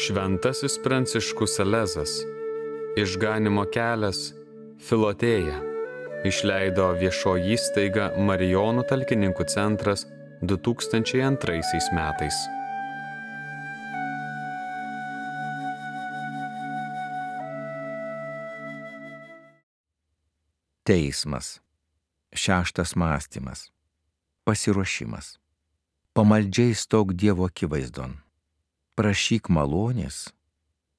Šventasis Pranciškus Salezas, Išganymo kelias, Filotėja, išleido viešoji įstaiga Marijonų talkininkų centras 2002 metais. Teismas. Šeštas mąstymas. Pasiruošimas. Pamaldžiai stok Dievo akivaizdon. Prašyk malonės,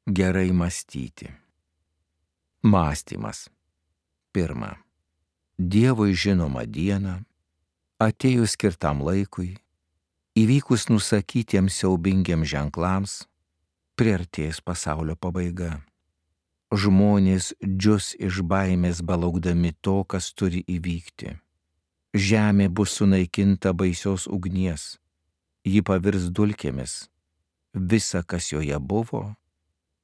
gerai mąstyti. Mąstymas. Pirma. Dievui žinoma diena, atėjus skirtam laikui, įvykus nusakytiems siaubingiems ženklams, priartės pasaulio pabaiga. Žmonės džius iš baimės belaukdami to, kas turi įvykti. Žemė bus sunaikinta baisios ugnies, ji pavirs dulkėmis, visa, kas joje buvo,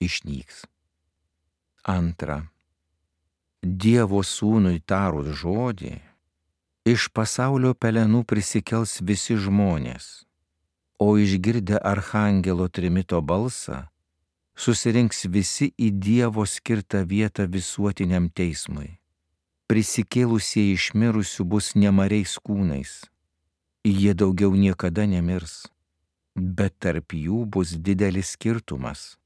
išnyks. Antra. Dievo sūnui tarus žodį, iš pasaulio pelenų prisikels visi žmonės, o išgirdę archangelo trimito balsą, susirinks visi į Dievo skirtą vietą visuotiniam teismui. Prisikėlusieji iš mirusių bus nemariais kūnais. Jie daugiau niekada nemirs, bet tarp jų bus didelis skirtumas.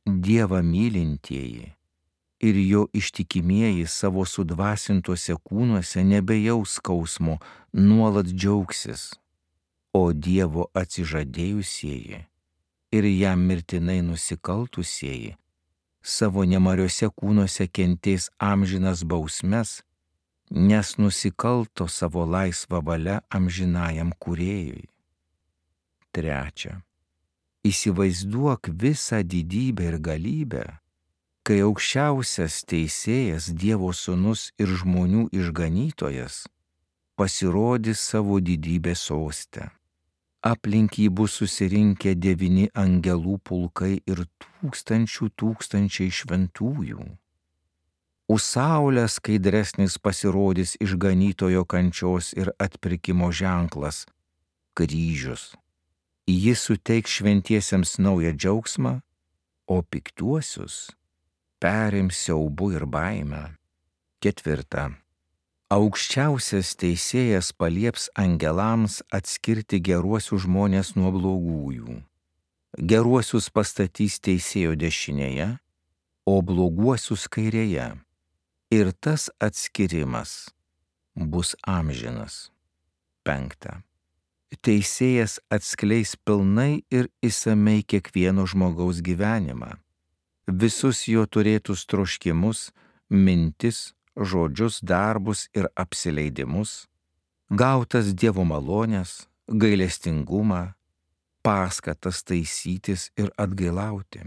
Dievą mylintieji ir jo ištikimieji savo sudvasintuose kūnuose nebejaus skausmo, nuolat džiaugsis, o Dievo atsižadėjusieji ir jam mirtinai nusikaltusieji savo nemariuose kūnuose kentės amžinas bausmes, nes nusikalto savo laisvą valią amžinajam kūrėjui. Trečia. Įsivaizduok visą didybę ir galybę, kai aukščiausias teisėjas, Dievo sūnus ir žmonių išganytojas pasirodys savo didybės soste. Aplink jį bus susirinkę 9 angelų pulkai ir tūkstančiai šventųjų. Už saulę skaidresnis pasirodys išganytojo kančios ir atpirkimo ženklas — kryžius. Jis suteiks šventiesiems naują džiaugsmą, o piktuosius perims siaubu ir baimę. Ketvirta. Aukščiausias teisėjas palieps angelams atskirti geruosius žmonės nuo blogųjų. Geruosius pastatys teisėjo dešinėje, o bloguosius kairėje. Ir tas atskirimas bus amžinas. Penkta. Teisėjas atskleis pilnai ir išsamei kiekvieno žmogaus gyvenimą, visus jo turėtus troškimus, mintis, žodžius, darbus ir apsileidimus, gautas Dievo malonės, gailestingumą, paskatas taisytis ir atgailauti.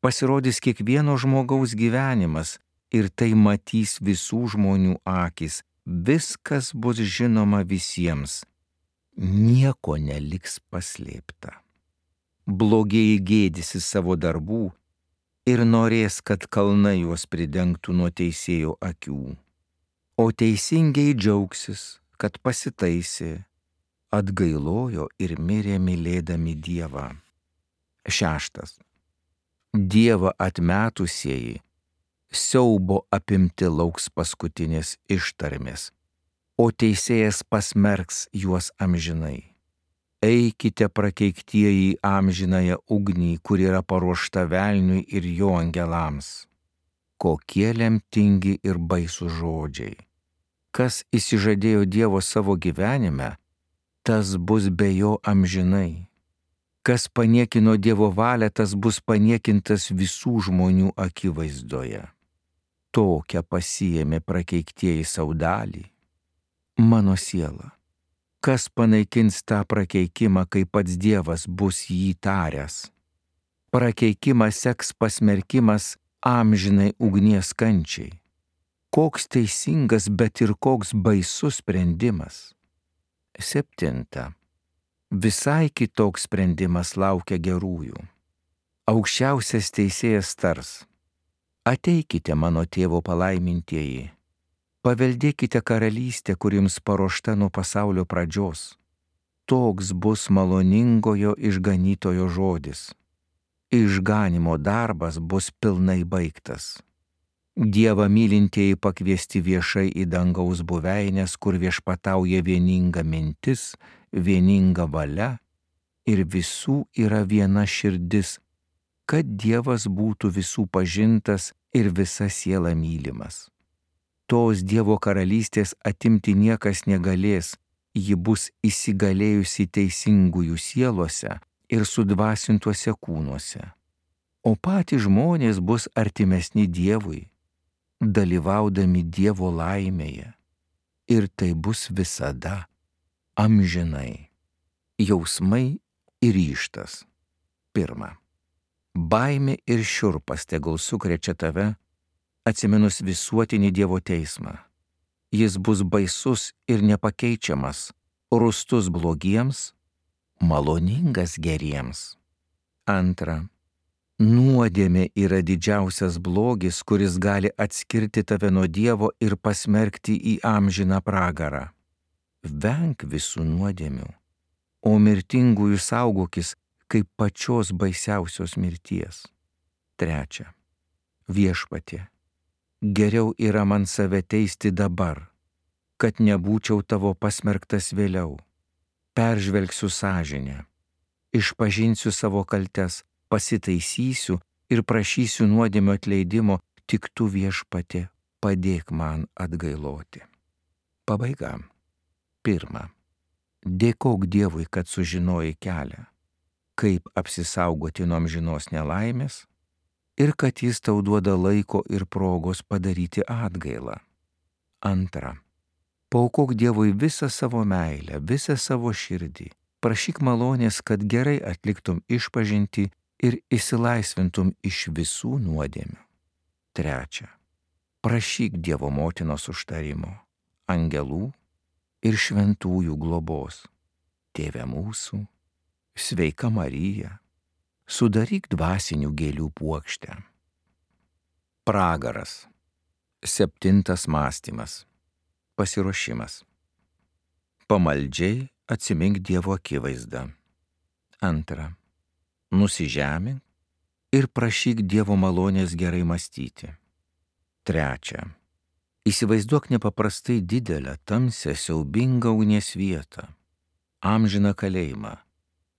Pasirodys kiekvieno žmogaus gyvenimas ir tai matys visų žmonių akys, viskas bus žinoma visiems, nieko neliks paslėpta. Blogieji gėdysis savo darbų ir norės, kad kalnai juos pridengtų nuo teisėjo akių. O teisingieji džiaugsis, kad pasitaisė, atgailojo ir mirė mylėdami Dievą. Šeštas. Dievą atmetusieji siaubo apimti lauks paskutinės ištarmės, o teisėjas pasmerks juos amžinai. Eikite prakeiktieji amžinąją ugnį, kur yra paruošta velniui ir jo angelams. Kokie lemtingi ir baisūs žodžiai. Kas įsižadėjo Dievo savo gyvenime, tas bus be jo amžinai. Kas paniekino Dievo valią, tas bus paniekintas visų žmonių akivaizdoje. Tokią pasiėmė prakeiktieji sau dalį. Mano siela. Kas panaikins tą prakeikimą, kai pats Dievas bus jį taręs? Prakeikimą seks pasmerkimas amžinai ugnies kančiai. Koks teisingas, bet ir koks baisus sprendimas. Septinta. Visai kitoks sprendimas laukia gerųjų. Aukščiausias teisėjas tars: ateikite, mano tėvo palaimintieji. Paveldėkite karalystę, kur jums paruošta nuo pasaulio pradžios. Toks bus maloningojo išganytojo žodis. išganimo darbas bus pilnai baigtas. Dievą mylintieji pakviesti viešai į dangaus buveinės, kur viešpatauja vieninga mintis, vieninga valia ir visų yra viena širdis, kad Dievas būtų visų pažintas ir visa siela mylimas. Tos Dievo karalystės atimti niekas negalės, ji bus įsigalėjusi teisingųjų sielose ir sudvasintuose kūnuose. O patys žmonės bus artimesni Dievui, dalyvaudami Dievo laimėje. Ir tai bus visada, amžinai. Jausmai ir ryžtas. 1. Baimė ir šiurpas tegul sukrečia tave, atsiminus visuotinį Dievo teismą. Jis bus baisus ir nepakeičiamas, rūstus blogiems, maloningas geriems. 2. Nuodėmė yra didžiausias blogis, kuris gali atskirti tave nuo Dievo ir pasmerkti į amžiną pragarą. Venk visų nuodėmių, o mirtingųjų saugokis kaip pačios baisiausios mirties. 3. Viešpatie, geriau yra man save teisti dabar, kad nebūčiau tavo pasmerktas vėliau. Peržvelgsiu sąžinę, išpažinsiu savo kaltes, pasitaisysiu ir prašysiu nuodėmio atleidimo, tik tu, Viešpatie, padėk man atgailoti. Pabaiga. 1. Dėkok Dievui, kad sužinojai kelią, kaip apsisaugoti nuo amžinos nelaimės ir kad jis tau duoda laiko ir progos padaryti atgailą. 2. Paaukok Dievui visą savo meilę, visą savo širdį. Prašyk malonės, kad gerai atliktum išpažintį ir išsilaisvintum iš visų nuodėmių. 3. Prašyk Dievo motinos užtarimo, angelų ir šventųjų globos. Tėve mūsų, sveika Marija, sudaryk dvasinių gėlių puokštę. Pragaras. 7. mąstymas. Pasiruošimas. Pamaldžiai atsimink Dievo akivaizdą. 2. Nusižemink ir prašyk Dievo malonės gerai mąstyti. 3. Įsivaizduok nepaprastai didelę, tamsią, siaubingą ugnies vietą, amžiną kalėjimą,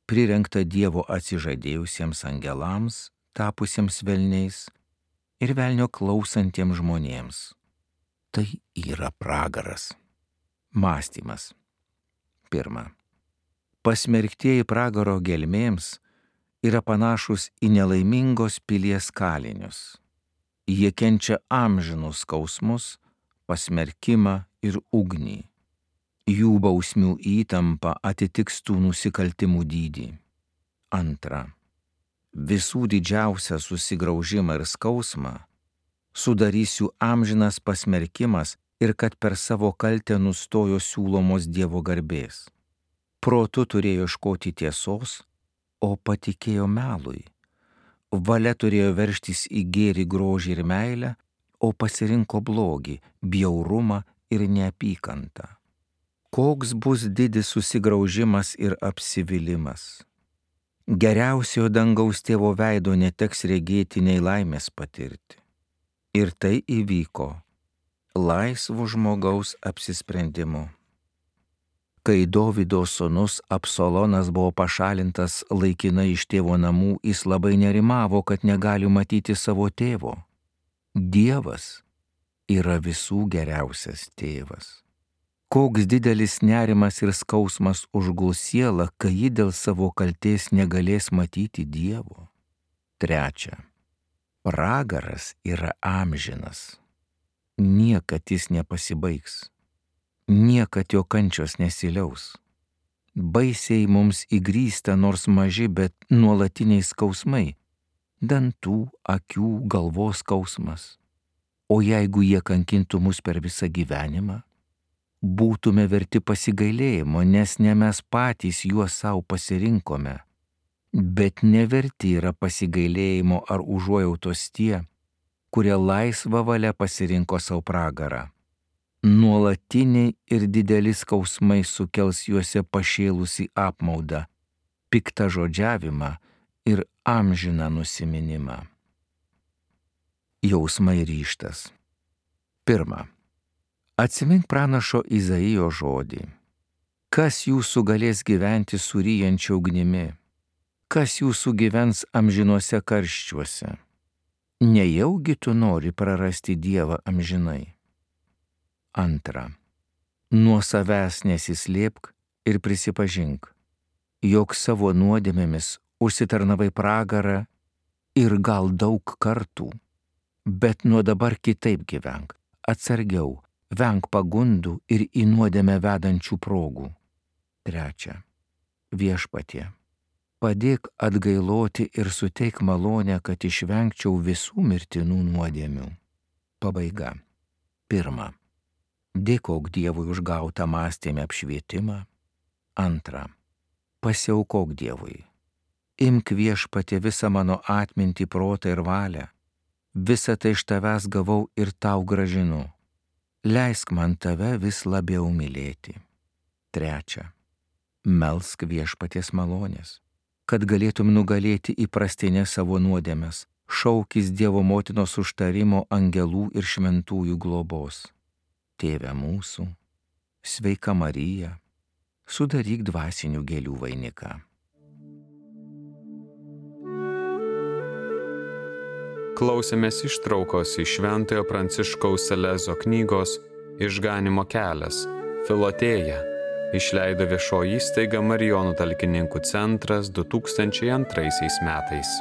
prirengtą Dievo atsižadėjusiems angelams, tapusiems velniais ir velnio klausantiems žmonėms. Tai yra pragaras. Mąstymas. 1. Pasmerktieji pragaro gelmėms yra panašus į nelaimingos pilies kalinius. Jie kenčia amžinus skausmus, pasmerkimą ir ugnį. Jų bausmių įtampa atitiks tų nusikaltimų dydį. 2. Visų didžiausią susigraužimą ir skausmą sudarys jų amžinas pasmerkimas ir kad per savo kaltę nustojo siūlomos Dievo garbės. Protu turėjo ieškoti tiesos, o patikėjo melui. Valia turėjo veržtis į gėrį, grožį ir meilę, o pasirinko blogį, bjaurumą ir neapykantą. Koks bus didis susigraužimas ir apsivylimas. Geriausiojo dangaus tėvo veido neteks regėti nei laimės patirti. Ir tai įvyko laisvo žmogaus apsisprendimu. Kai Dovydo sūnus Absalonas buvo pašalintas laikinai iš tėvo namų, jis labai nerimavo, kad negali matyti savo tėvo. Dievas yra visų geriausias tėvas. Koks didelis nerimas ir skausmas užguls sielą, kai ji dėl savo kaltės negalės matyti Dievo. 3. Pragaras yra amžinas. Niekad jis nepasibaigs. Niekad jo kančios nesiliaus. Baisiai mums įgrysta nors maži, bet nuolatiniai skausmai. Dantų, akių, galvos skausmas. O jeigu jie kankintų mus per visą gyvenimą, būtume verti pasigailėjimo, nes ne mes patys juos savo pasirinkome, bet neverti yra pasigailėjimo ar užuojautos tie, kurie laisvą valią pasirinko savo pragarą. Nuolatiniai ir dideli skausmai sukels juose pašėlusi apmaudą, piktą žodžiavimą ir amžiną nusiminimą. Jausmai ryžtas. 1. Atsimink pranašo Izaijo žodį. Kas jūsų galės gyventi suryjančia ugnimi? Kas jūsų gyvens amžinuose karščiuose? Nejaugi tu nori prarasti Dievą amžinai? 2. Nuo savęs nesislėpk ir prisipažink, jog savo nuodėmėmis užsitarnavai pragarą ir gal daug kartų, bet nuo dabar kitaip gyvenk, atsargiau, venk pagundų ir į nuodėmę vedančių progų. 3. Viešpatie, padėk atgailoti ir suteik malonę, kad išvengčiau visų mirtinų nuodėmių. Pabaiga. 1. Dėkok Dievui už gautą mąstymę apšvietimą. 2. Pasiaukok Dievui. Imk Viešpatie visą mano atmintį, protą ir valią. Visą tai iš tavęs gavau ir tau grąžinu. Leisk man tave vis labiau mylėti. 3. Melsk Viešpaties malonės, kad galėtum nugalėti įprastinės savo nuodėmes, šaukis Dievo motinos užtarimo, angelų ir šventųjų globos. Tėve mūsų, sveika Marija, sudaryk dvasinių gėlių vainiką. Klausėmės ištraukos iš Šventojo Pranciškaus Salezo knygos Išganymo kelias – Filotėja. Išleido viešoji įstaiga Marijonų talkininkų centras 2002 metais.